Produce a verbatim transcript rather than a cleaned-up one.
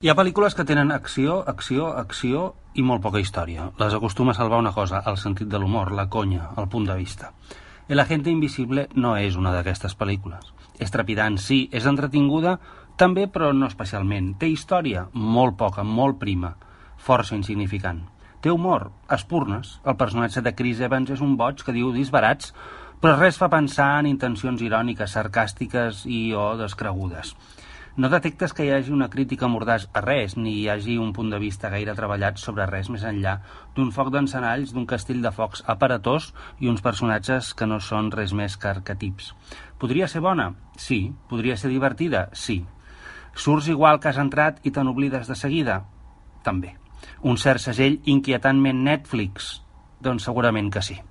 Hi ha pel·lícules que tenen acció, acció, acció i molt poca història. Les acostuma a salvar una cosa, el sentit de l'humor, la conya, el punt de vista. El agente invisible no és una d'aquestes pel·lícules. És trepidant, sí, és entretinguda, també, però no especialment. Té història? Molt poca, molt prima, força insignificant. Té humor? Espurnes. El personatge de Chris Evans és un boig que diu disbarats, però res fa pensar en intencions iròniques, sarcàstiques i o descregudes. No detectes que hi hagi una crítica mordàs a res, ni hi hagi un punt de vista gaire treballat sobre res més enllà d'un foc d'encenalls, d'un castell de focs aparatós i uns personatges que no són res més que arquetips. Podria ser bona? Sí. Podria ser divertida? Sí. Surts igual que has entrat i te n'oblides de seguida? També. Un cert segell inquietantment Netflix? Doncs segurament que sí.